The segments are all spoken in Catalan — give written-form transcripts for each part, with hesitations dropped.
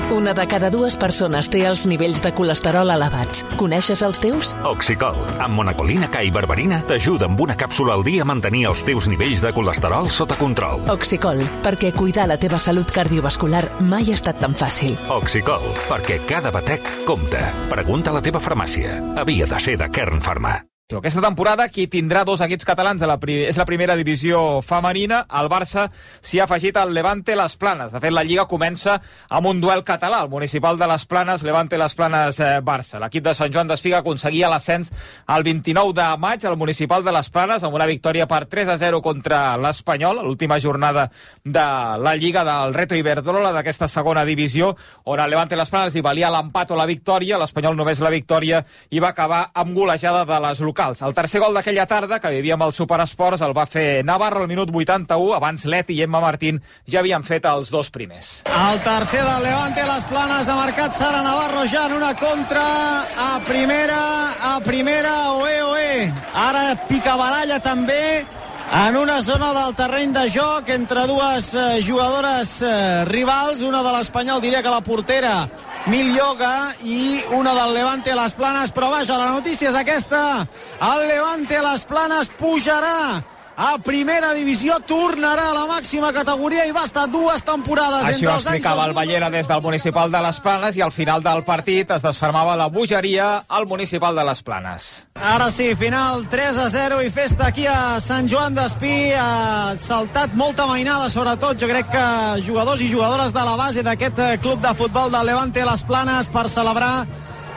Una de cada dues persones té els nivells de colesterol elevats. Coneixes els teus? Oxicol, amb monacolina K i berberina, t'ajuda amb una càpsula al dia a mantenir els teus nivells de colesterol sota control. Oxicol, perquè cuidar la teva salut cardiovascular mai ha estat tan fàcil. Oxicol, perquè cada batec compta. Pregunta a la teva farmàcia. Havia de ser de Kern Pharma. Aquesta temporada qui tindrà dos equips catalans és la primera divisió femenina. El Barça s'hi ha afegit al Levante Les Planes. De fet, la Lliga comença amb un duel català, el municipal de Les Planes, Levante Les Planes Barça. L'equip de Sant Joan d'Espiga aconseguia l'ascens el 29 de maig al municipal de Les Planes amb una victòria per 3-0 contra l'Espanyol, a l'última jornada de la Lliga del Reto Iberdrola d'aquesta segona divisió, on el Levante Les Planes hi valia l'empat o la victòria, l'Espanyol només la victòria, i va acabar amb golejada de les locals. El tercer gol d'aquella tarda, que vivíem al Superesports, el va fer Navarro al minut 81. Abans Leti i Emma Martín ja havien fet els dos primers. El tercer del Levante Les Planes ha marcat Sara Navarro ja en una contra a primera, oe. Ara picabaralla també en una zona del terreny de joc entre dues jugadores rivals, una de l'Espanyol, diria que la portera Milyoga, i una del Levante Les Planes, però vaja, la notícia és aquesta: el Levante Les Planes pujarà a primera divisió, tornarà a la màxima categoria i va estar dues temporades Així entre ho els anys explicava el Ballera des del municipal de Les Planes, i al final del partit es desfermava la bogeria al municipal de Les Planes. Ara sí, final 3-0 i festa aquí a Sant Joan d'Espí. Ha saltat molta mainada, sobretot jo crec que jugadors i jugadores de la base d'aquest club de futbol del Levante Les Planes, per celebrar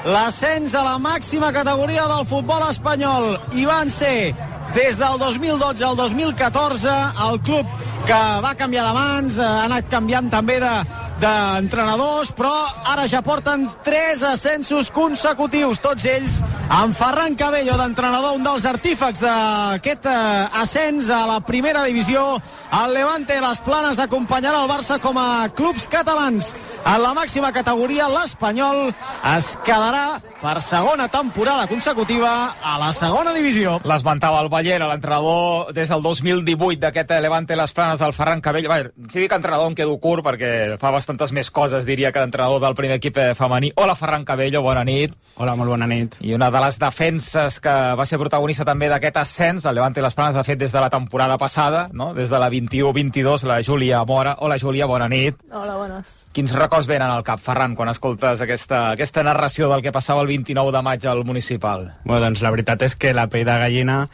l'ascens a la màxima categoria del futbol espanyol. I van ser des del 2012 al 2014 el club que va canviar de mans, ha anat canviant també d'entrenadors, però ara ja porten 3 ascensos consecutius, tots ells amb Ferran Cabello d'entrenador, un dels artífecs d'aquest ascens a la primera divisió. El Levante Les Planes acompanyarà el Barça com a clubs catalans en la màxima categoria. L'Espanyol es quedarà per segona temporada consecutiva a la segona divisió. L'esmentava el Ballera, l'entrenador des del 2018 d'aquest Levante Les Planes, el Ferran Cabello. Si dic entrenador em quedo curt perquè fa bastantes més coses, diria, que d'entrenador del primer equip femení. Hola, Ferran Cabello, bona nit. Hola, molt bona nit. I una de les defenses que va ser protagonista també d'aquest ascens, el Levante Les Planes, de fet, des de la temporada passada, no? Des de la 21-22, la Júlia Mora. Hola, Júlia, bona nit. Hola, bones. Quins records venen al cap, Ferran, quan escoltes aquesta narració del que passava el 29 de maig al municipal? Bueno, doncs la veritat és que la pell de gallina,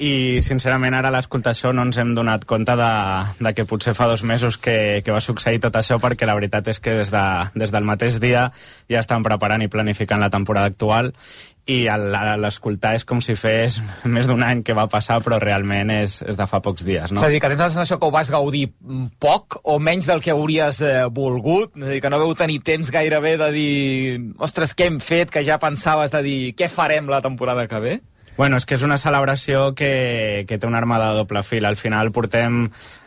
i sincerament ara a l'escoltar això no ens hem donat compte de que potser fa 2 mesos que va succeir tot això, perquè la veritat és que des del mateix dia ja estan preparant i planificant la temporada actual, i a l'escoltar és com si fes més d'un any que va passar, però realment és de fa pocs dies, no? És a dir, que tens la sensació que ho vas gaudir poc o menys del que hauries volgut? És a dir, que no veu tenir temps gairebé de dir, ostres, què hem fet, que ja pensaves de dir, què farem la temporada que ve? Bueno, és que és una celebració que té una arma de doble fil. Al final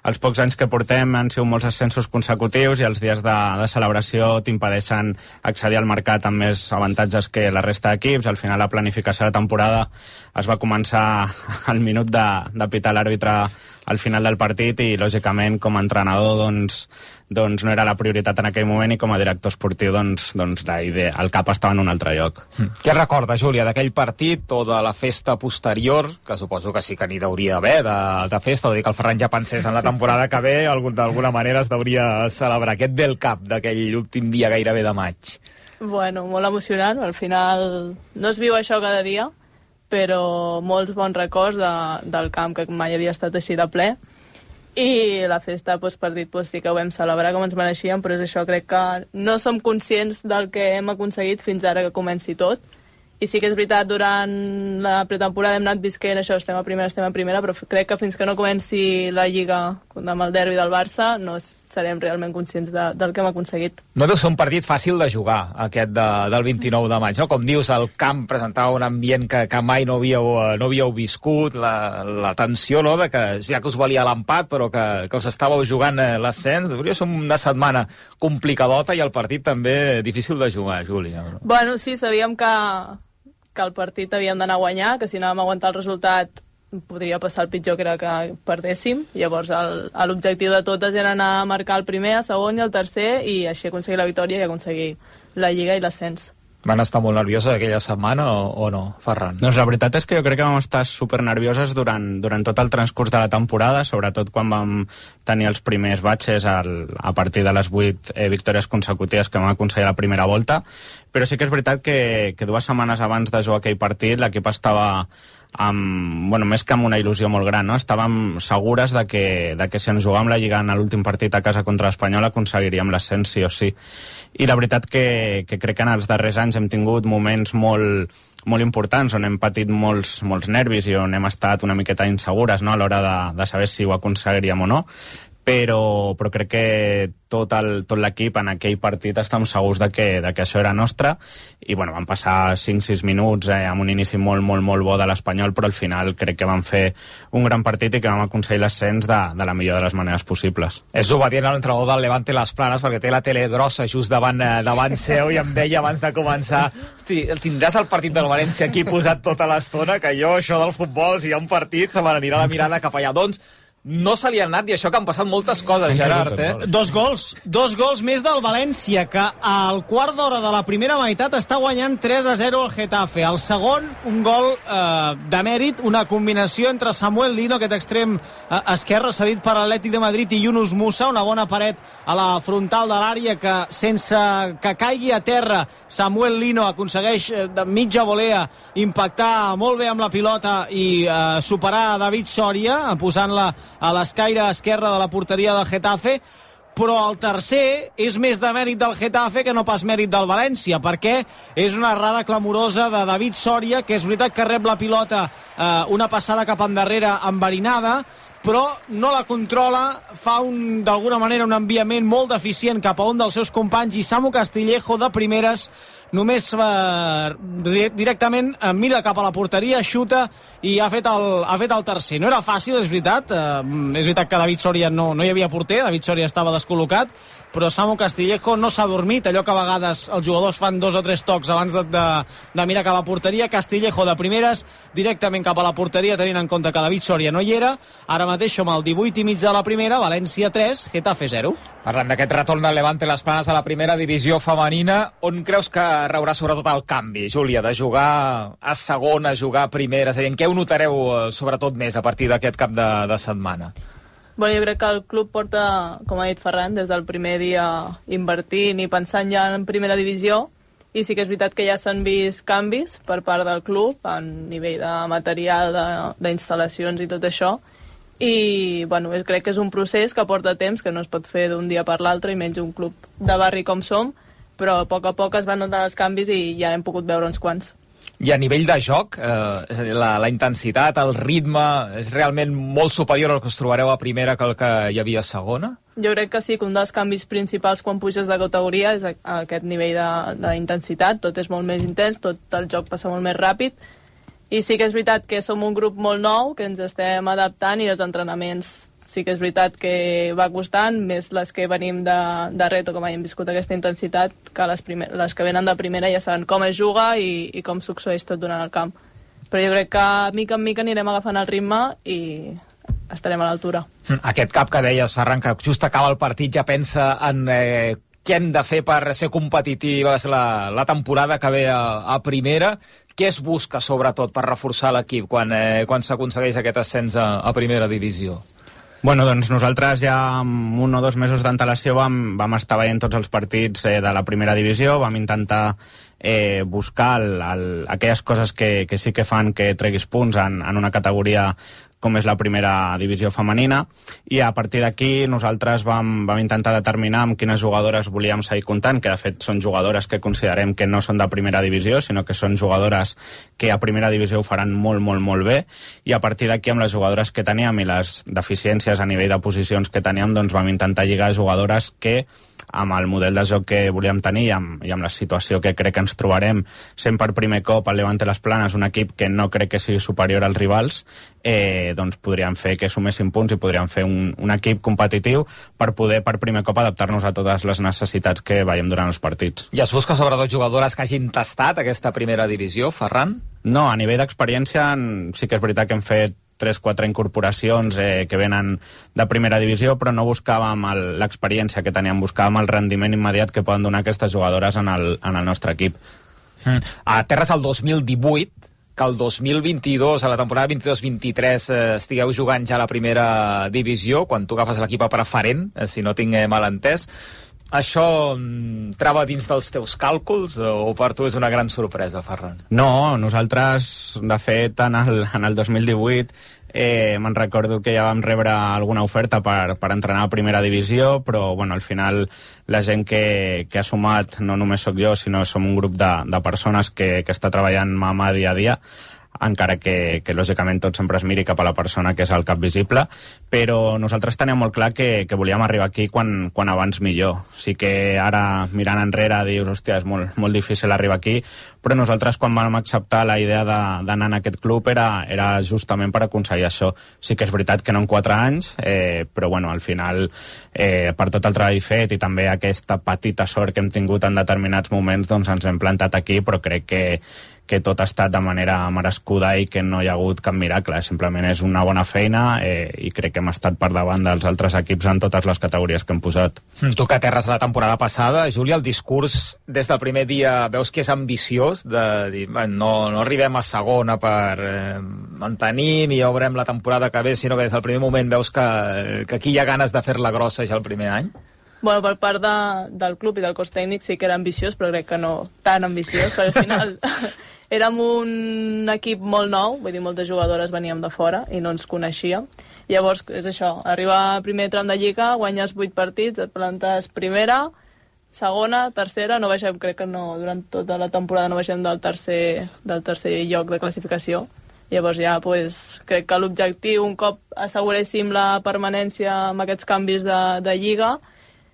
els pocs anys que portem han sigut molts ascensos consecutius, i els dies de celebració t'impedeixen accedir al mercat amb més avantatges que la resta d'equips. Al final la planificació de la temporada es va començar al minut de pitar l'àrbitre al final del partit, i lògicament com a entrenador doncs no era la prioritat en aquell moment, i com a director esportiu doncs la idea, el cap estava en un altre lloc. Què recorda, Júlia, d'aquell partit o de la festa posterior, que suposo que sí que n'hi hauria d'haver de festa, o dir que el Ferran ja pensés en la temporada que ve, d'alguna manera es hauria celebrar. Què et ve el cap d'aquell últim dia gairebé de maig? Bueno, molt emocionant, al final no es viu això cada dia, però molts bons records del camp, que mai havia estat així de ple, i la festa postpartit sí que ho vam celebrar com ens mereixíem, però és això, crec que no som conscients del que hem aconseguit fins ara que comenci tot. I sí que és veritat, durant la pretemporada hem anat visquent això, estem a primera, però crec que fins que no comenci la Lliga amb el derbi del Barça no serem realment conscients del que hem aconseguit. No deu ser un partit fàcil de jugar, aquest del 29 de maig, no? Com dius, el camp presentava un ambient que mai no havíeu viscut, la tensió, no?, de que ja que us valia l'empat, però que us estàveu jugant l'ascens. Hauria de ser una setmana complicadota, i el partit també difícil de jugar, Júlia. Bueno, sí, sabíem que el partit havíem d'anar a guanyar, que si anàvem a aguantar el resultat podria passar el pitjor, que era que perdéssim. Llavors l'objectiu de totes era anar a marcar el primer, el segon i el tercer, i així aconseguir la victòria i aconseguir la Lliga i l'ascens. Van estar molt nervioses aquella setmana o no, Ferran? Doncs la veritat és que jo crec que vam estar supernervioses durant tot el transcurs de la temporada, sobretot quan vam tenir els primers batxes a partir de les 8 victòries consecutives que vam aconseguir la primera volta, però sí que és veritat que 2 setmanes abans de jugar aquell partit l'equip estava més que amb una il·lusió molt gran, no? Estàvem segures de que si ens jugàvem la Lliga en l'últim partit a casa contra l'Espanyol aconseguiríem l'ascens sí o sí. I la veritat que crec que en els darrers anys hem tingut moments molt importants on hem patit molts nervis i on hem estat una miqueta insegures, no? A l'hora de saber si ho aconseguiríem o no, però crec que tot l'equip en aquell partit estem segurs de que això era nostre, i van passar 5-6 minuts amb un inici molt bo de l'Espanyol, però al final crec que vam fer un gran partit i que vam aconseguir l'ascens de la millor de les maneres possibles. És obedient a l'entrenador del Levante Les Planes, perquè té la tele grossa just davant seu, i em deia abans de començar: hosti, tindràs el partit del València aquí posat tota l'estona, que jo, això del futbol, si hi ha un partit, se m'anirà la mirada cap allà. Doncs no se li ha anat, i això que han passat moltes coses, Gerard, Dos gols més del València, que al quart d'hora de la primera meitat està guanyant 3-0 el Getafe. El segon, un gol de mèrit, una combinació entre Samuel Lino, aquest extrem esquerre cedit per l'Atlètic de Madrid, i Yunus Musa, una bona paret a la frontal de l'àrea que, sense que caigui a terra, Samuel Lino aconsegueix de mitja volea impactar molt bé amb la pilota i superar David Soria, posant-la a l'escaire esquerra de la porteria del Getafe. Però el tercer és més de mèrit del Getafe que no pas mèrit del València, perquè és una errada clamorosa de David Soria, que és veritat que rep la pilota, una passada cap endarrere enverinada, però no la controla, fa d'alguna manera un enviament molt deficient cap a un dels seus companys, i Samu Castillejo de primeres només directament mira cap a la porteria, xuta i ha fet el tercer. No era fàcil, és veritat. És veritat que David Soria no hi havia porter, David Soria estava descol·locat, però Samu Castillejo no s'ha dormit, allò que a vegades els jugadors fan 2 o 3 tocs abans de mirar cap a la porteria. Castillejo de primeres, directament cap a la porteria, tenint en compte que David Soria no hi era. Ara mateix som al 18 i mig de la primera, València 3, Getafe 0. Parlant d'aquest retorn del Levante Les Planes a la primera divisió femenina, on creus que reurà sobretot el canvi, Júlia, de jugar a segona, a jugar a primera? És a dir, en què ho notareu sobretot més a partir d'aquest cap de setmana? Jo crec que el club porta, com ha dit Ferran, des del primer dia invertint i pensant ja en primera divisió, i sí que és veritat que ja s'han vist canvis per part del club a nivell de material, d'instal·lacions i tot això, i crec que és un procés que porta temps, que no es pot fer d'un dia per l'altre, i menys un club de barri com som, però a poc es van notar els canvis i ja hem pogut veure uns quants. I a nivell de joc, és a dir, la intensitat, el ritme, és realment molt superior al que us trobareu a primera que el que hi havia a segona? Jo crec que sí, que un dels canvis principals quan puges de categoria és aquest nivell d'intensitat. Tot és molt més intens, tot el joc passa molt més ràpid, i sí que és veritat que som un grup molt nou, que ens estem adaptant, i els entrenaments sí que és veritat que va costant, més les que venim de reto, com hem viscut aquesta intensitat, que les que venen de primera ja saben com es juga i com succeeix tot durant el camp. Però jo crec que mica en mica anirem agafant el ritme i estarem a l'altura. Aquest cap que deies, Ferran, que just acaba el partit, ja pensa en què hem de fer per ser competitives la temporada que ve a primera. Què es busca, sobretot, per reforçar l'equip quan s'aconsegueix aquest ascens a primera divisió? Doncs nosaltres ja amb 1 o 2 mesos d'antelació vam estar veient tots els partits de la primera divisió, vam intentar buscar aquelles coses que sí que fan que treguis punts en una categoria com és la primera divisió femenina, i a partir d'aquí nosaltres vam intentar determinar amb quines jugadores volíem seguir comptant, que de fet són jugadores que considerem que no són de primera divisió, sinó que són jugadores que a primera divisió ho faran molt bé, i a partir d'aquí amb les jugadores que teníem i les deficiències a nivell de posicions que teníem, doncs vam intentar lligar jugadores que amb el model de joc que volíem tenir i amb la situació que crec que ens trobarem sent per primer cop el Levante Les Planes, un equip que no crec que sigui superior als rivals, doncs podríem fer que sumessin punts i podríem fer un equip competitiu per poder per primer cop adaptar-nos a totes les necessitats que veiem durant els partits. I es busca sobretot jugadores que hagin tastat aquesta primera divisió, Ferran? No, a nivell d'experiència sí que és veritat que hem fet 3-4 incorporacions que venen de primera divisió, però no buscàvem l'experiència que teníem, buscàvem el rendiment immediat que poden donar aquestes jugadores en el nostre equip. A terres el 2018, que el 2022, a la temporada 22-23, estigueu jugant ja a la primera divisió, quan tu agafes l'equip a preferent, si no tinc mal entès. Això trava dins dels teus càlculs o per tu és una gran sorpresa, Ferran? No, nosaltres, de fet, en el 2018 me'n recordo que ja vam rebre alguna oferta per entrenar a primera divisió, però bueno, al final la gent que ha sumat, no només sóc jo, sinó som un grup de persones que està treballant mà a mà dia a dia, encara que lògicament tot sempre es miri cap a la persona que és el cap visible, però nosaltres teníem molt clar que volíem arribar aquí quan abans millor. Sí que ara, mirant enrere, dius, hòstia, és molt difícil arribar aquí, però nosaltres quan vam acceptar la idea d'anar en aquest club era justament per aconseguir això. Sí que és veritat que no en 4 anys, però bueno, al final, per tot el treball fet i també aquesta petita sort que hem tingut en determinats moments, doncs ens hem plantat aquí, però crec que tot ha estat de manera merescuda i que no hi ha hagut cap miracle, simplement és una bona feina i crec que hem estat per davant dels altres equips en totes les categories que hem posat. Tu que aterres la temporada passada, Júlia, el discurs des del primer dia veus que és ambiciós, de dir, no arribem a segona per mantenir ni obrem la temporada que ve, sinó que des del primer moment veus que aquí hi ha ganes de fer-la grossa ja el primer any? Bueno, per part del club i del cos tècnic sí que era ambiciós, però crec que no tan ambiciós, perquè al final érem un equip molt nou, vull dir, moltes jugadores veníem de fora i no ens coneixíem. Llavors, és això, arribar al primer tram de Lliga, guanyes 8 partits, et plantes primera, segona, tercera, no baixem, crec que no, durant tota la temporada no baixem del tercer lloc de classificació. Llavors ja pues, crec que l'objectiu, un cop asseguréssim la permanència amb aquests canvis de Lliga,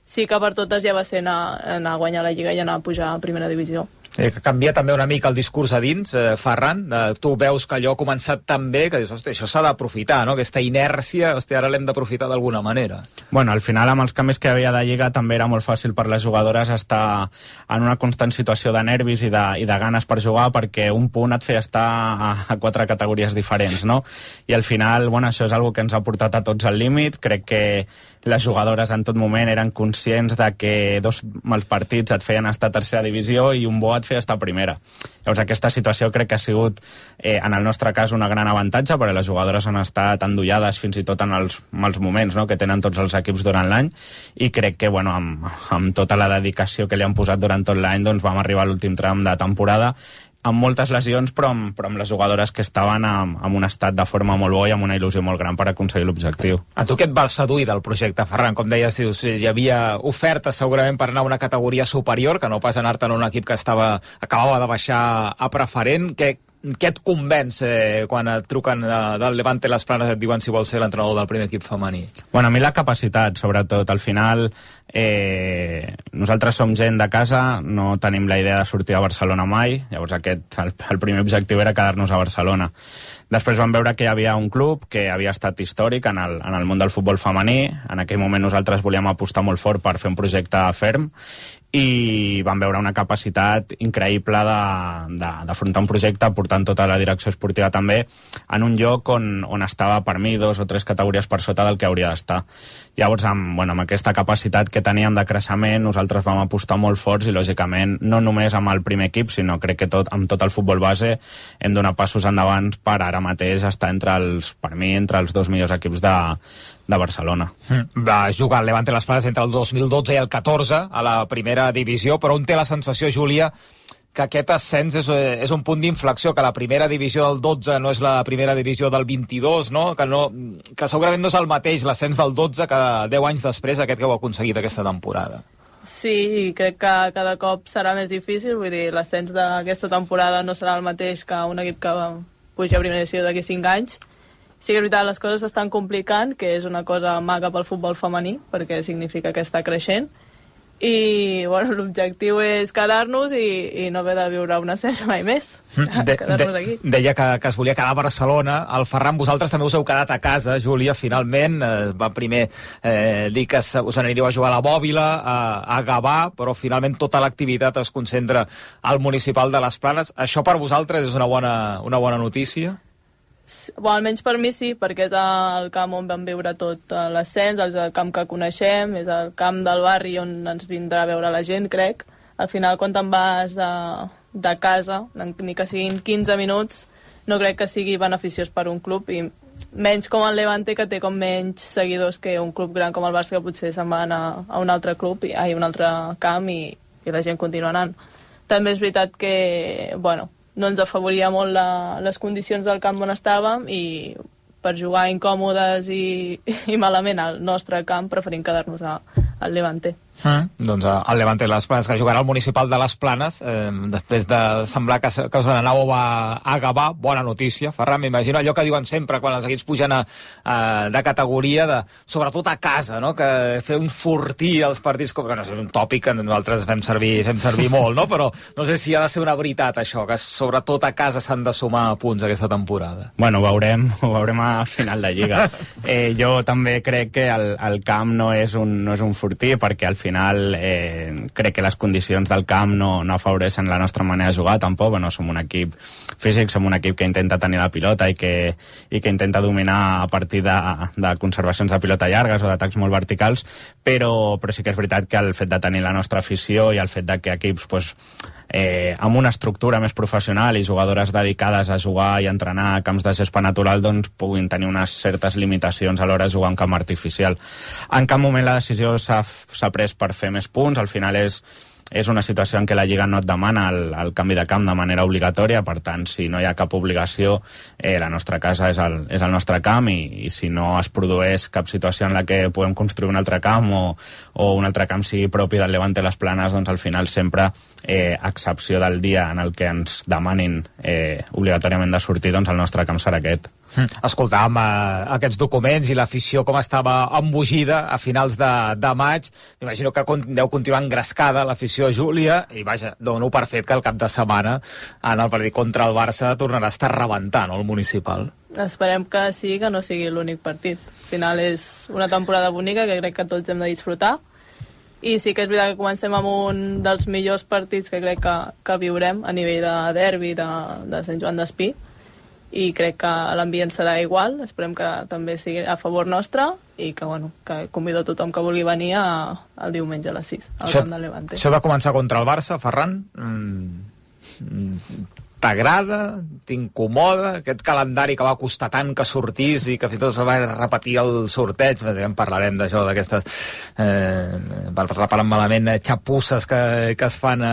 sí que per totes ja va ser anar a guanyar la Lliga i anar a pujar a primera divisió. Canvia també una mica el discurs a dins, Ferran. Tu veus que allò ha començat tan bé que dius, hòstia, això s'ha d'aprofitar, no? Aquesta inèrcia, hòstia, ara l'hem d'aprofitar d'alguna manera. Bueno, al final, amb els canvis que hi havia de Lliga, també era molt fàcil per les jugadores estar en una constant situació de nervis i de ganes per jugar, perquè un punt et feia estar a 4 categories diferents, no? I al final, bueno, això és una que ens ha portat a tots al límit. Crec que les jugadores en tot moment eren conscients de que 2 mals partits et feien estar a tercera divisió i un bo et feia estar a primera. Llavors aquesta situació crec que ha sigut en el nostre cas un gran avantatge, perquè les jugadores han estat endollades fins i tot en els mals moments, no?, que tenen tots els equips durant l'any, i crec que bueno, amb tota la dedicació que li han posat durant tot l'any, doncs vam arribar a l'últim tram de temporada amb moltes lesions, però amb les jugadores que estaven en un estat de forma molt bo i amb una il·lusió molt gran per aconseguir l'objectiu. A tu què et va seduir del projecte, Ferran? Com deies, dius, hi havia ofertes segurament per anar a una categoria superior, que no pas anar-te en un equip que acabava de baixar a preferent. Què et convenç quan et truquen del Levante Las Planes i et diuen si vols ser l'entrenador del primer equip femení? Bueno, a mi la capacitat, sobretot. Al final, nosaltres som gent de casa, no tenim la idea de sortir a Barcelona mai, llavors el primer objectiu era quedar-nos a Barcelona. Després vam veure que hi havia un club que havia estat històric en el món del futbol femení. En aquell moment nosaltres volíem apostar molt fort per fer un projecte ferm i vam veure una capacitat increïble d'afrontar un projecte portant tota la direcció esportiva també en un lloc on estava per mi 2 o 3 categories per sota del que hauria d'estar. Llavors amb aquesta capacitat que teníem de creixement nosaltres vam apostar molt forts i lògicament no només amb el primer equip sinó crec que amb tot el futbol base hem donat passos endavant per ara mateix estar entre els 2 millors equips de Barcelona. Va jugar el Levante Las Planes entre el 2012 i el 14 a la primera divisió, però un té la sensació, Júlia, que aquest ascens és un punt d'inflexió, que la primera divisió del 12 no és la primera divisió del 22, no? Que segurament no és el mateix l'ascens del 12 que 10 anys després aquest que heu aconseguit aquesta temporada. Sí, crec que cada cop serà més difícil, vull dir, l'ascens d'aquesta temporada no serà el mateix que un equip que puja a primera divisió d'aquí 5 anys. Sí que és veritat, les coses s'estan complicant, que és una cosa maca pel futbol femení, perquè significa que està creixent, i bueno, l'objectiu és quedar-nos i no haver de viure un ascens mai més, quedar-nos aquí. Deia que es volia quedar a Barcelona. El Ferran, vosaltres també us heu quedat a casa, Júlia, finalment. Va primer dir que us aniríeu a jugar a la Bòbila, a Gavà, però finalment tota l'activitat es concentra al municipal de Les Planes. Això per vosaltres és una bona notícia? almenys per mi sí, perquè és el camp on vam viure tot l'ascens, és el camp que coneixem, és el camp del barri on ens vindrà a veure la gent, crec. Al final, quan te'n vas de casa, ni que siguin 15 minuts, no crec que sigui beneficiós per un club, i menys com el Levante, que té com menys seguidors que un club gran com el Barça, que potser se'n va anar a un altre club, a un altre camp, i la gent continua anant. També és veritat que, bueno, no ens afavoria molt les condicions del camp on estàvem, i per jugar incòmodes i malament al nostre camp preferim quedar-nos al Levante. Doncs el Levante de les Planes, que jugarà al Municipal de les Planes, després de semblar que us n'anàveu a Gavà. Bona notícia, Ferran, m'imagino allò que diuen sempre quan els equips pugen de categoria, sobretot a casa, no? Que fer un fortí als partits, que no sé, és un tòpic que nosaltres fem servir molt, no? Però no sé si ha de ser una veritat això, que sobretot a casa s'han de sumar punts aquesta temporada. Bueno, ho veurem a final de Lliga. Jo també crec que el camp no és un fortí, perquè al final crec que les condicions del camp no afavoreixen la nostra manera de jugar, tampoc. Bueno, som un equip físic, som un equip que intenta tenir la pilota i que intenta dominar a partir de conservacions de pilota llargues o d'atacs molt verticals, però sí que és veritat que el fet de tenir la nostra afició i el fet de que equips amb una estructura més professional i jugadores dedicades a jugar i entrenar a camps de gespa natural, doncs puguin tenir unes certes limitacions a l'hora de jugar en camp artificial. En cap moment la decisió s'ha pres per fer més punts. Al final és una situació en què la Lliga no et demana el canvi de camp de manera obligatòria. Per tant, si no hi ha cap obligació, la nostra casa és el nostre camp, i si no es produeix cap situació en la que puguem construir un altre camp o un altre camp sigui propi del Levante les Planes, doncs al final sempre, a excepció del dia en el que ens demanin obligatòriament de sortir, doncs el nostre camp serà aquest. Escoltàvem aquests documents i l'afició com estava embogida a finals de maig. M'imagino que deu continuar engrescada l'afició Júlia, i vaja, dono per fet que el cap de setmana en el partit contra el Barça tornarà a estar rebentant el Municipal. Esperem que sí, que no sigui l'únic partit. Al final és una temporada bonica que crec que tots hem de disfrutar, i sí que és veritat que comencem amb un dels millors partits que crec que viurem a nivell de derbi de Sant Joan d'Espí, i crec que l'ambient serà igual. Esperem que també sigui a favor nostre, i que convido a tothom que vulgui venir el diumenge a les 6 al camp de Levante. Això de començar contra el Barça, Ferran, t'agrada? T'incomoda? Aquest calendari que va costar tant que sortís i que fins i tot se va repetir el sorteig, en parlarem d'això, d'aquestes parlant malament, xapusses que es fan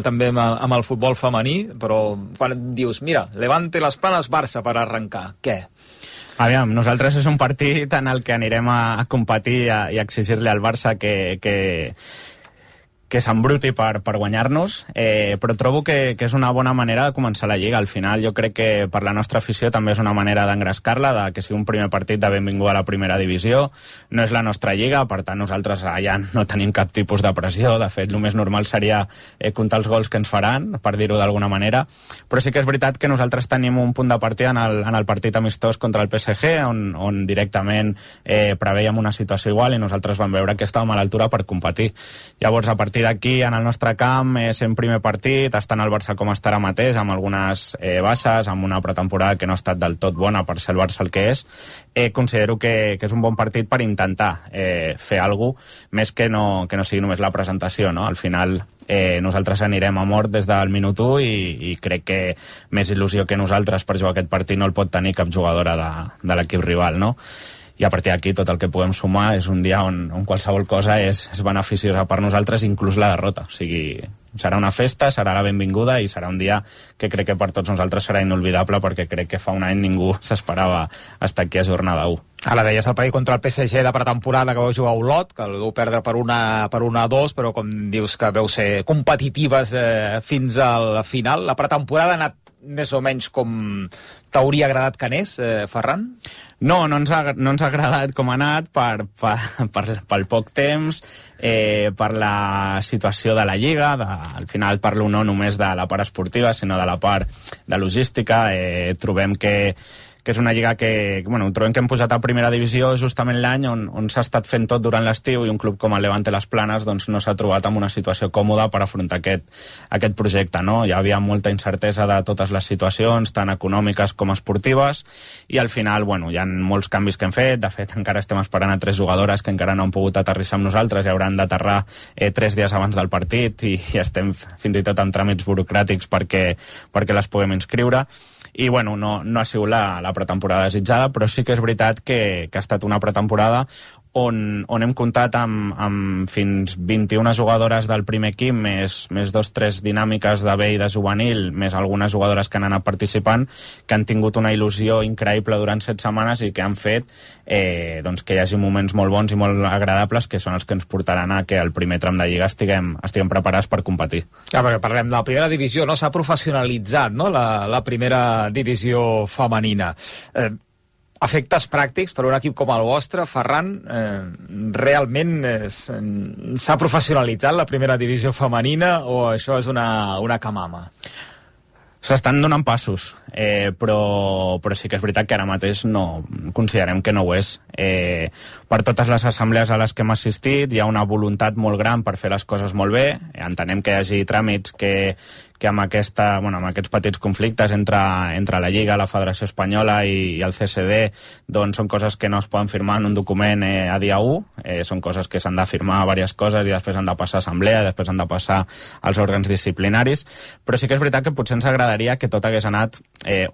també amb el futbol femení, però quan dius, mira, Levante les Planes, Barça per arrencar, què? Aviam, nosaltres és un partit en el que anirem a competir i a exigir-li al Barça que s'embruti per guanyar-nos, però trobo que és una bona manera de començar la Lliga. Al final jo crec que per la nostra afició també és una manera d'engrescar-la, que sigui un primer partit de benvinguda a la primera divisió. No és la nostra Lliga, per tant nosaltres allà no tenim cap tipus de pressió. De fet, el més normal seria comptar els gols que ens faran, per dir-ho d'alguna manera, però sí que és veritat que nosaltres tenim un punt de partida en el partit amistós contra el PSG, on directament preveiem una situació igual, i nosaltres vam veure que estàvem a l'altura per competir. Llavors, a partir d'aquí, en el nostre camp, sent primer partit, estant el Barça com està ara mateix, amb algunes baixes, amb una pretemporada que no ha estat del tot bona per ser el Barça el que és, considero que és un bon partit per intentar fer alguna cosa, més que no sigui només la presentació, no? Al final nosaltres anirem a mort des del minut 1 i crec que més il·lusió que nosaltres per jugar aquest partit no el pot tenir cap jugadora de l'equip rival, no? I a partir d'aquí tot el que puguem sumar és un dia on qualsevol cosa és beneficiosa per nosaltres, inclús la derrota. O sigui, serà una festa, serà la benvinguda, i serà un dia que crec que per tots nosaltres serà inolvidable, perquè crec que fa un any ningú s'esperava estar aquí a jornada 1. Ara deies el partit contra el PSG de pretemporada, que vau jugar a Olot, que el vau perdre per 1-2, però com dius que vau ser competitives fins al final. La pretemporada ha anat més o menys com t'hauria agradat que anés, Ferran? No ens ha agradat com ha anat pel poc temps, per la situació de la Lliga. Al final parlo no només de la part esportiva, sinó de la part de logística. Trobem que és una lliga que, bueno, trobem que hem posat a primera divisió justament l'any on s'ha estat fent tot durant l'estiu, i un club com el Levante Las Planes doncs no s'ha trobat en una situació còmoda per afrontar aquest projecte, no? Hi havia molta incertesa de totes les situacions, tant econòmiques com esportives, i al final, bueno, hi ha molts canvis que hem fet. De fet, encara estem esperant a 3 jugadores que encara no han pogut aterrissar amb nosaltres i hauran d'aterrar 3 dies abans del partit, i estem fins i tot en tràmits burocràtics perquè les puguem inscriure. I bueno, no ha sigut la pretemporada desitjada, però sí que és veritat que ha estat una pretemporada on hem comptat amb fins 21 jugadores del primer equip, més 2-3 dinàmiques de B i de juvenil, més algunes jugadores que han anat participant, que han tingut una il·lusió increïble durant 7 setmanes i que han fet doncs que hi hagi moments molt bons i molt agradables, que són els que ens portaran a que al primer tram de Lliga estiguem preparats per competir. Perquè parlem de la primera divisió, no? S'ha professionalitzat, no?, la primera divisió femenina. Efectes pràctics per un equip com el vostre, Ferran, realment s'ha professionalitzat la primera divisió femenina o això és una camama? S'estan donant passos, però sí que és veritat que ara mateix no considerem que no ho és. Per totes les assemblees a les que hem assistit hi ha una voluntat molt gran per fer les coses molt bé. Entenem que hi hagi tràmits que amb aquests petits conflictes entre la Lliga, la Federació Espanyola i el CSD, doncs són coses que no es poden firmar en un document a dia 1, són coses que s'han de firmar diverses coses i després han de passar a assemblea, després han de passar als òrgans disciplinaris, però sí que és veritat que potser ens agradaria que tot hagués anat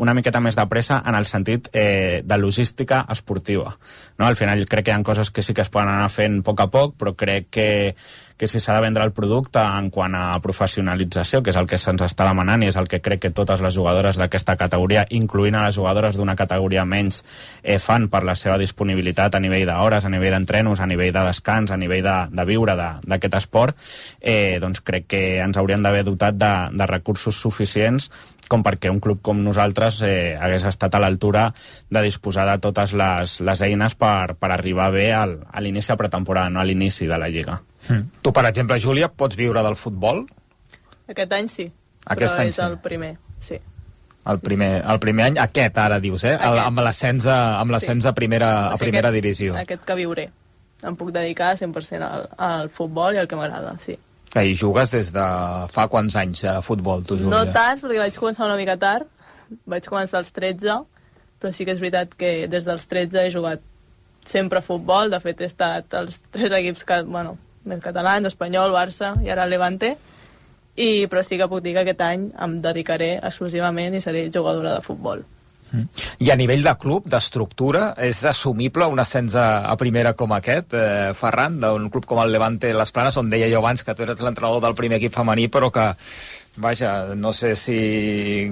una miqueta més de pressa en el sentit de logística esportiva, no? Al final crec que hi ha coses que sí que es poden anar fent a poc, però crec que si s'ha de vendre el producte en quant a professionalització, que és el que se'ns està demanant i és el que crec que totes les jugadores d'aquesta categoria, incloent a les jugadores d'una categoria menys, fan per la seva disponibilitat a nivell d'hores, a nivell d'entrenos, a nivell de descans, a nivell de viure d'aquest esport, doncs crec que ens hauríem d'haver dotat de recursos suficients com perquè un club com nosaltres hagués estat a l'altura de disposar de totes les eines per arribar bé a l'inici de pretemporada, no a l'inici de la Lliga. Tu, per exemple, Júlia, pots viure del futbol? Aquest any sí, Aquest però any és el primer, sí. El primer any, aquest ara dius, amb l'ascens a primera divisió. Aquest que viuré. Em puc dedicar 100% al futbol i al que m'agrada, sí. I jugues des de fa quants anys a futbol, tu, Júlia? No tants, perquè vaig començar una mica tard. Vaig començar als 13, però sí que és veritat que des dels 13 he jugat sempre a futbol. De fet, he estat als 3 equips més catalans, Espanyol, Barça i ara el Levante. Però sí que puc dir que aquest any em dedicaré exclusivament i seré jugadora de futbol. I a nivell de club, d'estructura, és assumible un ascens a primera com aquest, Ferran, d'un club com el Levante Las Planes, on deia jo abans que tu eres l'entrenador del primer equip femení, però que, vaja, no sé si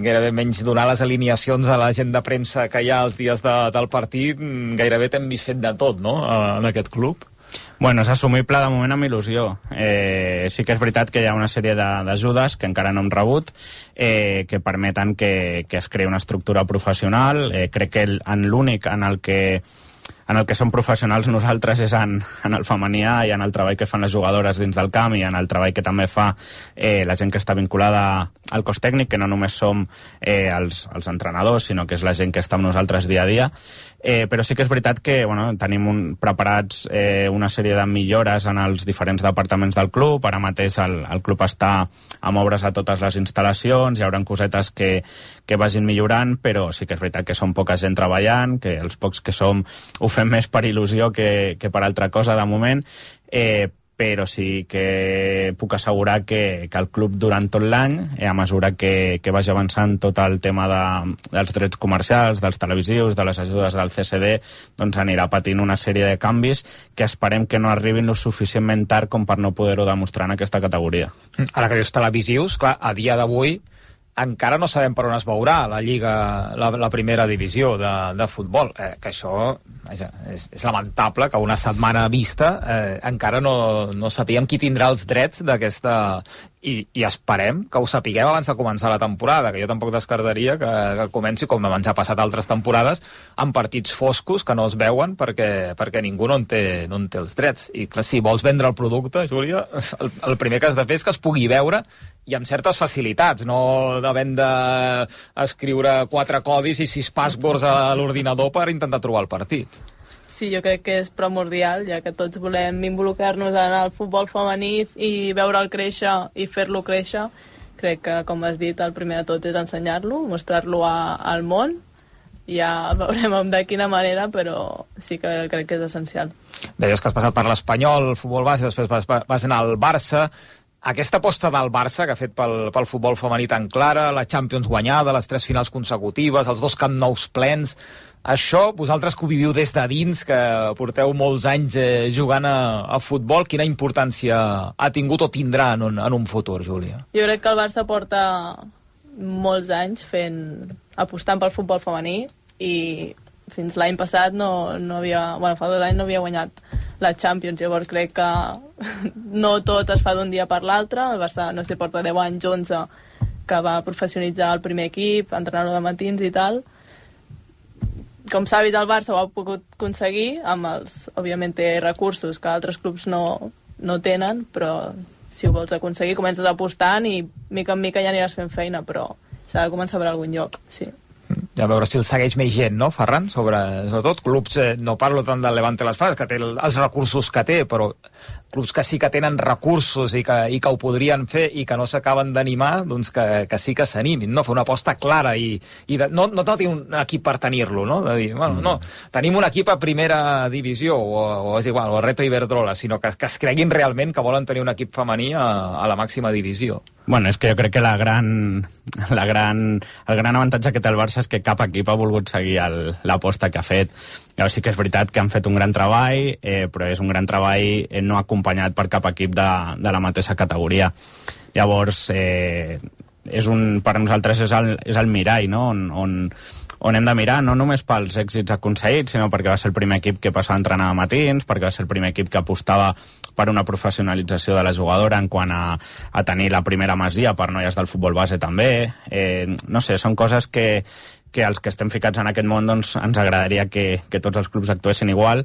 gairebé menys donar les alineacions a la gent de premsa que hi ha els dies del partit, gairebé t'hem vist fet de tot, no?, en aquest club. Bueno, és assumible de moment amb il·lusió. Sí que és veritat que hi ha una sèrie d'ajudes que encara no hem rebut, que permeten que es creï una estructura professional. Crec que en l'únic en el que som professionals nosaltres és en el femení i en el treball que fan les jugadores dins del camp i en el treball que també fa la gent que està vinculada al cos tècnic, que no només som els entrenadors, sinó que és la gent que està amb nosaltres dia a dia. Però sí que és veritat que tenim preparats una sèrie de millores en els diferents departaments del club. Ara mateix el club està amb obres a totes les instal·lacions, hi haurà cosetes que vagin millorant, però sí que és veritat que som poca gent treballant, que els pocs que som ho fem més per il·lusió que per altra cosa de moment, però sí que puc assegurar que el club durant tot l'any, a mesura que vagi avançant tot el tema dels drets comercials, dels televisius, de les ajudes del CSD, doncs anirà patint una sèrie de canvis que esperem que no arribin lo suficientment tard com per no poder-ho demostrar en aquesta categoria. Ara que dius televisius, clar, a dia d'avui encara no sabem per on es veurà la Lliga, la primera divisió de futbol, que això és lamentable que una setmana vista encara no sapiguem qui tindrà els drets d'aquesta, i esperem que ho sapiguem abans de començar la temporada, que jo tampoc descartaria que comenci, com ens ha passat altres temporades, amb partits foscos que no es veuen perquè ningú no en té els drets. I clar, si vols vendre el producte, Júlia, el primer que has de fer és que es pugui veure i amb certes facilitats, no havent d'escriure 4 codis i 6 passwords a l'ordinador per intentar trobar el partit. Sí, jo crec que és primordial, ja que tots volem involucrar-nos en el futbol femení i veure'l créixer i fer-lo créixer. Crec que, com has dit, el primer de tot és ensenyar-lo, mostrar-lo al món. Ja veurem de quina manera, però sí que crec que és essencial. Deies que has passat per l'Espanyol, el futbol base, després vas anar al Barça. Aquesta aposta del Barça que ha fet pel futbol femení tan clara, la Champions guanyada, les 3 finals consecutives, els 2 Camp Nous plens, això, vosaltres que ho viviu des de dins, que porteu molts anys jugant a futbol, quina importància ha tingut o tindrà en un futur, Júlia? Jo crec que el Barça porta molts anys apostant pel futbol femení i fins l'any passat fa 2 anys no havia guanyat la Champions, llavors crec que no tot es fa d'un dia per l'altre. El Barça, no sé, porta 10 anys, 11, que va professionalitzar el primer equip, entrenar-lo de matins i tal. Com s'ha vist, el Barça ho ha pogut aconseguir amb els, òbviament, recursos que altres clubs no tenen, però si ho vols aconseguir comences apostant i mica en mica ja aniràs fent feina, però s'ha de començar per algun lloc, sí. Ja a veure si el segueix més gent, no, Ferran? Sobretot clubs, no parlo tant del Levante Las Palmas, que té els recursos que té, però clubs que sí que tenen recursos i que ho podrien fer i que no s'acaben d'animar, doncs que sí que s'animin, no? Fer una aposta clara i no tenir un equip per tenir-lo, no? De dir, bueno, no, tenim un equip a primera divisió, o és igual, o a Reto Iberdrola, sinó que es creguin realment que volen tenir un equip femení a la màxima divisió. Bueno, és que jo crec que el gran avantatge que té el Barça és que cap equip ha volgut seguir l'aposta que ha fet. Llavors sí que és veritat que han fet un gran treball, però és un gran treball no acompanyat per cap equip de la mateixa categoria. Llavors, per nosaltres és el mirall, no? On hem de mirar, no només pels èxits aconseguits, sinó perquè va ser el primer equip que passava a entrenar a matins, perquè va ser el primer equip que apostava per una professionalització de la jugadora en quant a tenir la primera masia per noies del futbol base també. No sé, són coses que els que estem ficats en aquest món doncs, ens agradaria que tots els clubs actuessin igual,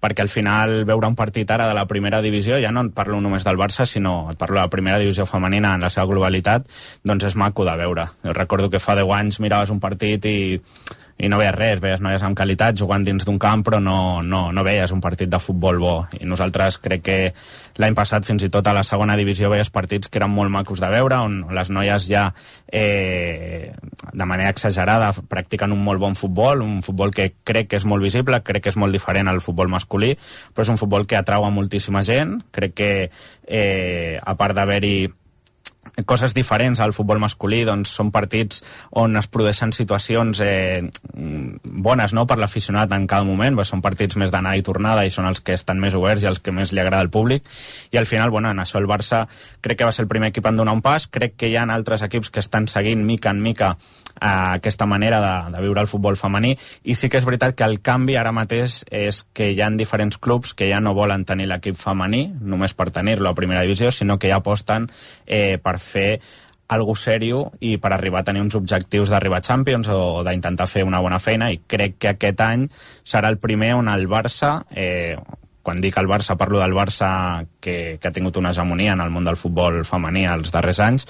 perquè al final veure un partit ara de la primera divisió, ja no et parlo només del Barça, sinó et parlo de la primera divisió femenina en la seva globalitat, doncs és maco de veure. Jo recordo que fa 10 anys miraves un partit i no veies res, veies noies amb qualitat jugant dins d'un camp, però no veies un partit de futbol bo. I nosaltres crec que l'any passat fins i tot a la segona divisió veies partits que eren molt macos de veure, on les noies ja de manera exagerada practiquen un molt bon futbol, un futbol que crec que és molt visible, crec que és molt diferent al futbol masculí, però és un futbol que atrau a moltíssima gent. Crec que a part d'haver-hi coses diferents al futbol masculí, doncs són partits on es produeixen situacions bones, no?, per l'aficionat en cada moment, són partits més d'anada i tornada i són els que estan més oberts i els que més li agrada al públic, i al final, bueno, en això el Barça crec que va ser el primer equip en donar un pas. Crec que hi ha altres equips que estan seguint mica en mica aquesta manera de viure el futbol femení, i sí que és veritat que el canvi ara mateix és que hi ha diferents clubs que ja no volen tenir l'equip femení només per tenir-lo a primera divisió, sinó que ja aposten per fer algo serio i per arribar a tenir uns objectius d'arribar a Champions o d'intentar fer una bona feina, i crec que aquest any serà el primer on el Barça, quan dic el Barça parlo del Barça que ha tingut una hegemonia en el món del futbol femení els darrers anys,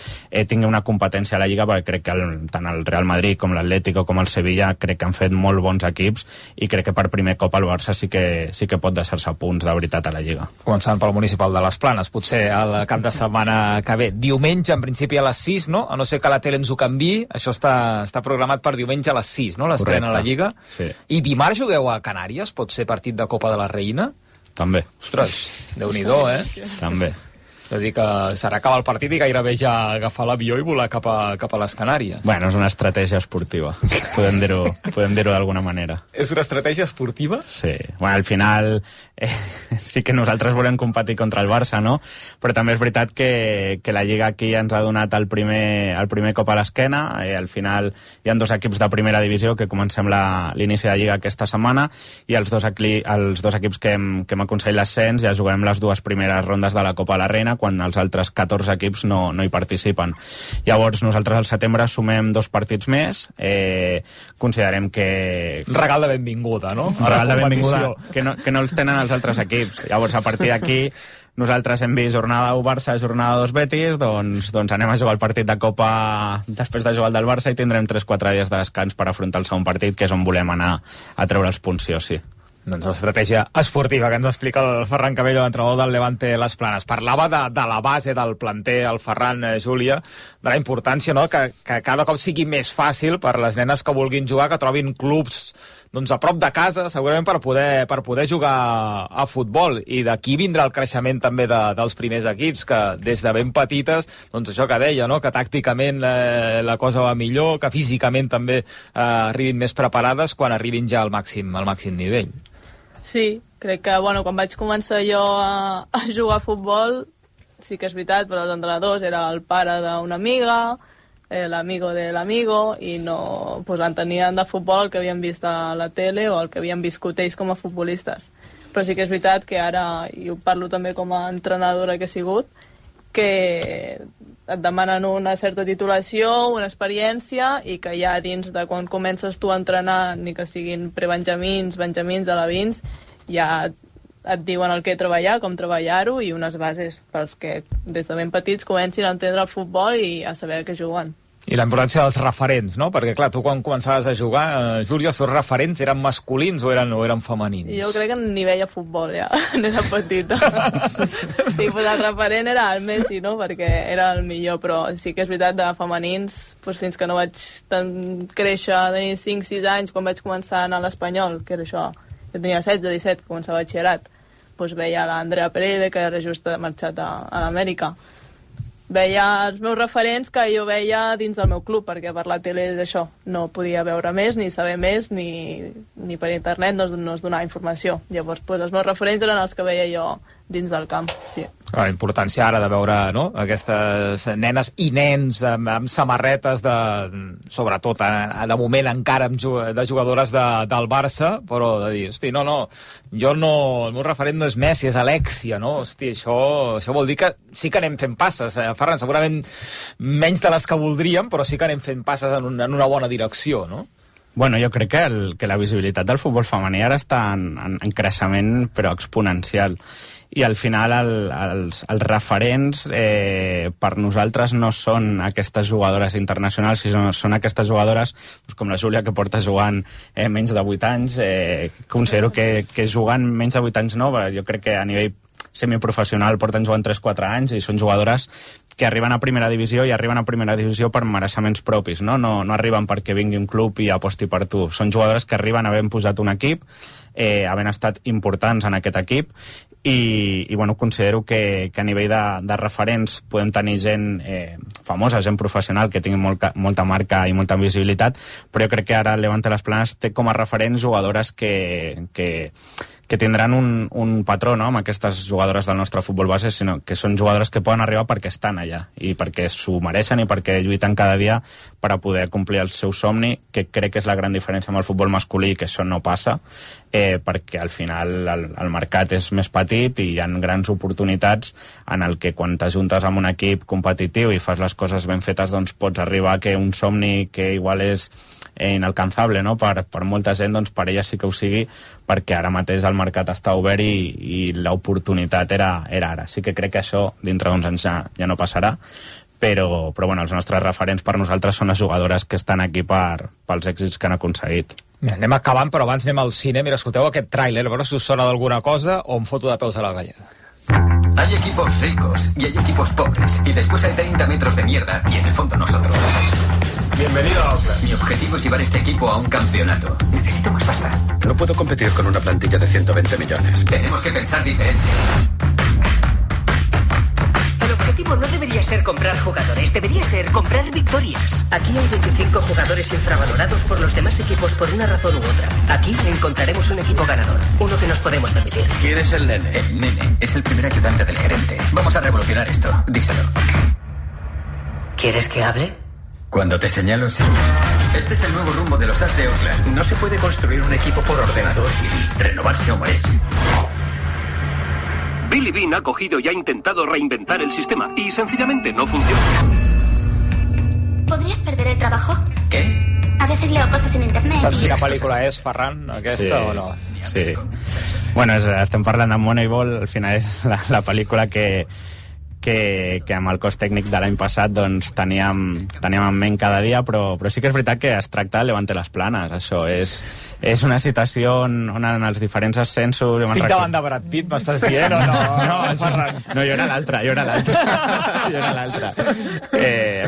tingui una competència a la Lliga, perquè crec que tant el Real Madrid com l'Atlético com el Sevilla crec que han fet molt bons equips, i crec que per primer cop el Barça sí que pot deixar-se punts de veritat a la Lliga. Començant pel municipal de les Planes, potser al cap de setmana que ve, diumenge en principi a les 6, no? A no ser que la tele ens ho canviï, això està programat per diumenge a les 6, no? L'estrena a la Lliga. Sí. I dimarts jugueu a Canàries, pot ser partit de Copa de la Reina? També. Ostres, Déu-n'hi-do, També. És a dir, que serà acabar el partit i gairebé ja agafar l'avió i volar cap a les Canàries. Bueno, és una estratègia esportiva. Podem dir-ho d'alguna manera. És una estratègia esportiva? Sí. Bueno, al final sí que nosaltres volem competir contra el Barça, no? Però també és veritat que la Lliga aquí ens ha donat el primer cop a l'esquena. Al final hi ha 2 equips de primera divisió que comencem l'inici de Lliga aquesta setmana, i els dos equips que hem aconseguit l'ascens ja juguem les 2 primeres rondes de la Copa de la Reina, quan els altres 14 equips no hi participen. Llavors nosaltres al setembre sumem 2 partits més, considerem que... Regal de benvinguda, no? Regal de benvinguda, que no els tenen els altres equips. Llavors a partir d'aquí nosaltres hem vist jornada 1 Barça, jornada 2 Betis, doncs anem a jugar el partit de Copa després de jugar el del Barça i tindrem 3-4 dies de descans per afrontar el segon partit, que és on volem anar a treure els punts sí o sí. Doncs l'estratègia esportiva que ens explica el Ferran Cabello, l'entrenador del Levante Les Planes. Parlava de la base del planter, el Ferran, Júlia, de la importància, no?, que cada cop sigui més fàcil per les nenes que vulguin jugar, que trobin clubs doncs, a prop de casa, segurament per poder jugar a futbol. I d'aquí vindrà el creixement també dels primers equips, que des de ben petites, doncs això que deia, no?, que tàcticament la cosa va millor, que físicament també arribin més preparades quan arribin ja al màxim nivell. Sí, crec que, bueno, quan vaig començar jo a jugar a futbol, sí que és veritat, però els entrenadors era el pare d'una amiga, l'amigo de l'amigo, i no pues, entenien de futbol el que havien vist a la tele o el que havien viscut ells com a futbolistes. Però sí que és veritat que ara, i ho parlo també com a entrenadora que he sigut, que et demanen una certa titulació, una experiència, i que ja dins de quan comences tu a entrenar, ni que siguin prebenjamins, benjamins, alevins, ja et diuen el que treballar, com treballar-ho, i unes bases pels que des de ben petits comencin a entendre el futbol i a saber què juguen. I la importància dels referents, no? Perquè, clar, tu quan començaves a jugar, Júlia, els teus referents eren masculins o eren femenins? Jo crec que ni veia futbol, ja, n'era petita. Sí, pues el referent era el Messi, no?, perquè era el millor, però sí que és veritat, de femenins, pues fins que no vaig créixer, tenir 5-6 anys, quan vaig començar a anar a l'Espanyol, que era això, jo tenia 16-17, que començava batxillerat, pues veia l'Andrea Perede, que era just marxat a l'Amèrica. Veia els meus referents que jo veia dins del meu club, perquè per la tele és això, no podia veure més, ni saber més, ni per internet no es donava informació. Llavors, pues, els meus referents eren els que veia jo dins del camp, sí. La importància ara de veure, no?, aquestes nenes i nens amb samarretes sobretot de moment encara de jugadores del Barça, però de dir, hosti, no, el meu referent no és Messi, és Alexia, no? Hosti, això vol dir que sí que anem fent passes, Ferran, segurament menys de les que voldríem, però sí que anem fent passes en una bona direcció, no? Bueno, jo crec que la visibilitat del futbol femení ara està en creixement, però exponencial. I al final els referents per nosaltres no són aquestes jugadores internacionals, sinó són aquestes jugadores com la Júlia, que porta jugant menys de 8 anys. Considero que jugant menys de 8 anys no, jo crec que a nivell semiprofessional porten jugant 3-4 anys i són jugadores que arriben a primera divisió i arriben a primera divisió per mereixements propis, no arriben perquè vingui un club i aposti per tu. Són jugadores que arriben havent posat un equip, havent estat importants en aquest equip, i bueno, considero que a nivell de referents podem tenir gent famosa, gent professional que tingui molta marca i molta visibilitat, però jo crec que ara el Levante Les Planes té com a referents jugadores que tindran un patró, no?, amb aquestes jugadores del nostre futbol base, sinó que són jugadores que poden arribar perquè estan allà i perquè s'ho mereixen i perquè lluiten cada dia per a poder complir el seu somni, que crec que és la gran diferència amb el futbol masculí, que això no passa, perquè al final el mercat és més petit i hi ha grans oportunitats en el que quan t'ajuntes amb un equip competitiu i fas les coses ben fetes, doncs pots arribar a que un somni que igual és inalcançable, no?, per molta gent, doncs per ella sí que ho sigui, perquè ara mateix el mercat està obert i l'oportunitat era ara. Sí que crec que això dintre d'uns anys ja no passarà, però bueno, els nostres referents per nosaltres són les jugadores que estan aquí pels èxits que han aconseguit. Bé, anem acabant, però abans anem al cine. Mira, escolteu aquest tràiler, a veure si us sona d'alguna cosa o em foto de peus a la galleda. Hay equipos ricos y hay equipos pobres, y después hay 30 metros de mierda, y en el fondo nosotros. Bienvenido a Oakland. Mi objetivo es llevar este equipo a un campeonato. Necesito más pasta. No puedo competir con una plantilla de 120 millones. Tenemos que pensar diferente. El objetivo no debería ser comprar jugadores, debería ser comprar victorias. Aquí hay 25 jugadores infravalorados por los demás equipos por una razón u otra. Aquí encontraremos un equipo ganador, uno que nos podemos permitir. ¿Quién es el nene? El nene es el primer ayudante del gerente. Vamos a revolucionar esto, díselo. ¿Quieres que hable? Cuando te señalo, sí. Este es el nuevo rumbo de los As de Oakland. No se puede construir un equipo por ordenador, Billy. Renovarse o morir. Billy Bean ha cogido y ha intentado reinventar el sistema y sencillamente no funciona. ¿Podrías perder el trabajo? ¿Qué? A veces leo cosas en internet Saps y... quina pel·lícula és, Ferran, aquesta, sí, o no? Sí. Bueno, estem parlant de Moneyball, al final és la pel·lícula que amb el cos tècnic de l'any passat doncs, teníem en ment cada dia, però sí que és veritat que es tracta de Levante les Planes. Això és una situació on en els diferents ascensos... Estic davant de Brad Pitt, m'estàs dient, o no? No, jo era l'altre.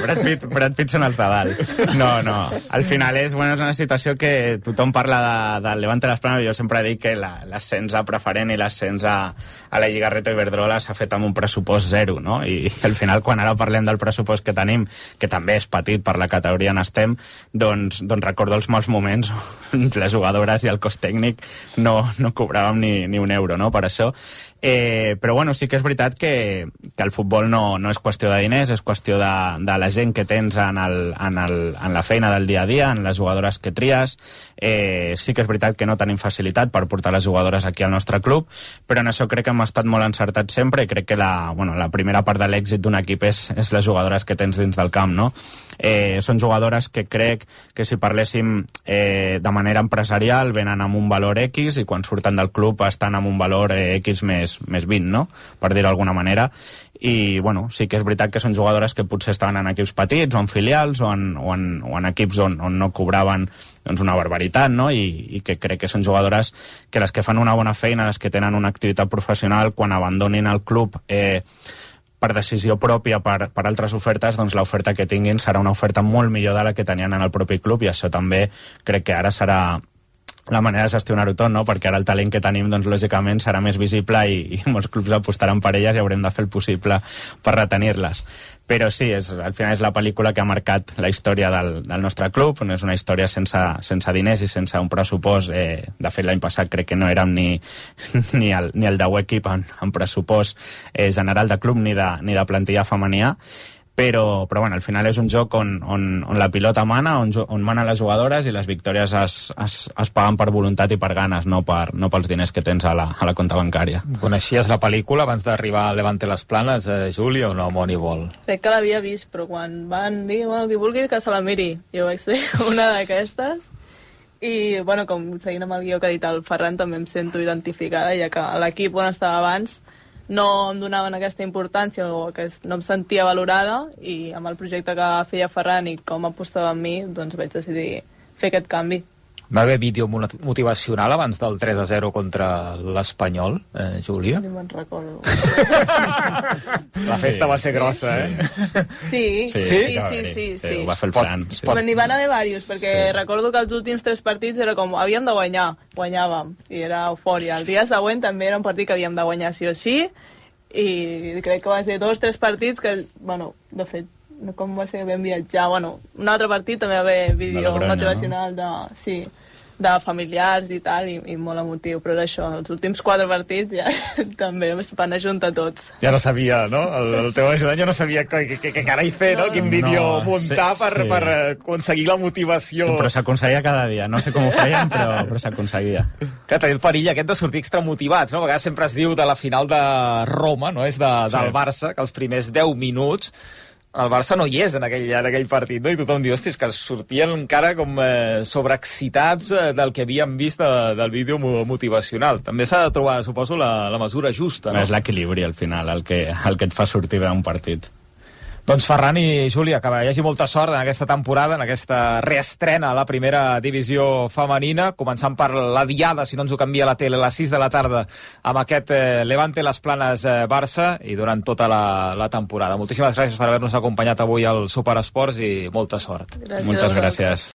Brad Pitt són els de dalt. No. Al final és una situació que tothom parla del Levante les Planes. Jo sempre dic que l'ascens a preferent i l'ascens a la Lliga Reto Iberdrola s'ha fet amb un pressupost zero, no? I al final, quan ara parlem del pressupost que tenim, que també és petit per la categoria on estem, doncs recordo els mals moments on les jugadores i el cos tècnic no cobràvem ni un euro, no?, per això. Però bueno, sí que és veritat que el futbol no és qüestió de diners, és qüestió de la gent que tens en la feina del dia a dia, en les jugadores que tries. Sí que és veritat que no tenim facilitat per portar les jugadores aquí al nostre club, però en això crec que hem estat molt encertats sempre, i crec que la primera part de l'èxit d'un equip és les jugadores que tens dins del camp, no? Són jugadores que crec que si parléssim de manera empresarial venen amb un valor X, i quan surten del club estan amb un valor X més 20, no?, per dir-ho d'alguna manera. I bueno, sí que és veritat que són jugadores que potser estaven en equips petits o en filials o en equips on no cobraven doncs una barbaritat, no? I que crec que són jugadores que les que fan una bona feina, les que tenen una activitat professional, quan abandonin el club per decisió pròpia, per altres ofertes, doncs l'oferta que tinguin serà una oferta molt millor de la que tenien en el propi club, i això també crec que ara serà la manera de gestionar-ho tot, no? Perquè ara el talent que tenim, doncs lògicament serà més visible, i molts clubs apostaran per elles i haurem de fer el possible per retenir-les. Però sí, al final és la pel·lícula que ha marcat la història del nostre club. És una història sense diners i sense un pressupost. De fet, l'any passat crec que no érem ni el 10è equip en pressupost general de club ni de plantilla femenia. Però bueno, al final és un joc on la pilota mana, on manen les jugadores, i les victòries es paguen per voluntat i per ganes, no pels diners que tens a la compta bancària. Coneixies la pel·lícula abans d'arribar a Levante les Planes, Júlia, o no, Moneyball? Crec que l'havia vist, però quan van dir, bueno, qui vulgui que se la miri, jo vaig ser una d'aquestes. I, bueno, com seguint amb el guió que ha dit el Ferran, també em sento identificada, ja que l'equip on estava abans no em donaven aquesta importància, o que no em sentia valorada, i amb el projecte que feia Ferran i com apostava en mi, doncs vaig decidir fer aquest canvi. Va haver vídeo motivacional abans del 3-0 contra l'Espanyol, Júlia? No me'n recordo. La festa va ser grossa, Sí. Ho va fer el Fran. N'hi van haver diversos, perquè recordo que els últims 3 partits era com, havíem de guanyar, guanyàvem, i era eufòria. El dia següent també era un partit que havíem de guanyar sí o sí, i crec que va ser 2-3 partits que, bueno, de fet, com va ser que vam viatjar, bueno, un altre partit també va haver vídeo motivacional de familiars i tal, i molt emotiu, però era això, els últims 4 partits ja també es van ajuntar tots. Ja no sabia, no? El teu ajudant ja no sabia què carai fer, no? Quin vídeo muntar per aconseguir la motivació. Sí, però s'aconseguia cada dia, no sé com ho feien, però s'aconseguia. Que tenia el perill aquest de sortir extramotivats, no? A vegades sempre es diu de la final de Roma, no? És del Barça, que els primers 10 minuts el Barça no hi és en aquell partit, no? I tothom diu, hòstia, és que sortien encara com sobreexcitats del que havíem vist del vídeo motivacional. També s'ha de trobar, suposo, la mesura justa, no? És l'equilibri, al final, el que et fa sortir bé un partit. Doncs Ferran i Júlia, que hi hagi molta sort en aquesta temporada, en aquesta reestrena a la primera divisió femenina, començant per la diada, si no ens ho canvia la tele, a les 6 de la tarda, amb aquest Levante les Planes Barça, i durant tota la temporada. Moltíssimes gràcies per haver-nos acompanyat avui al Superesports i molta sort. Gràcies. Moltes gràcies.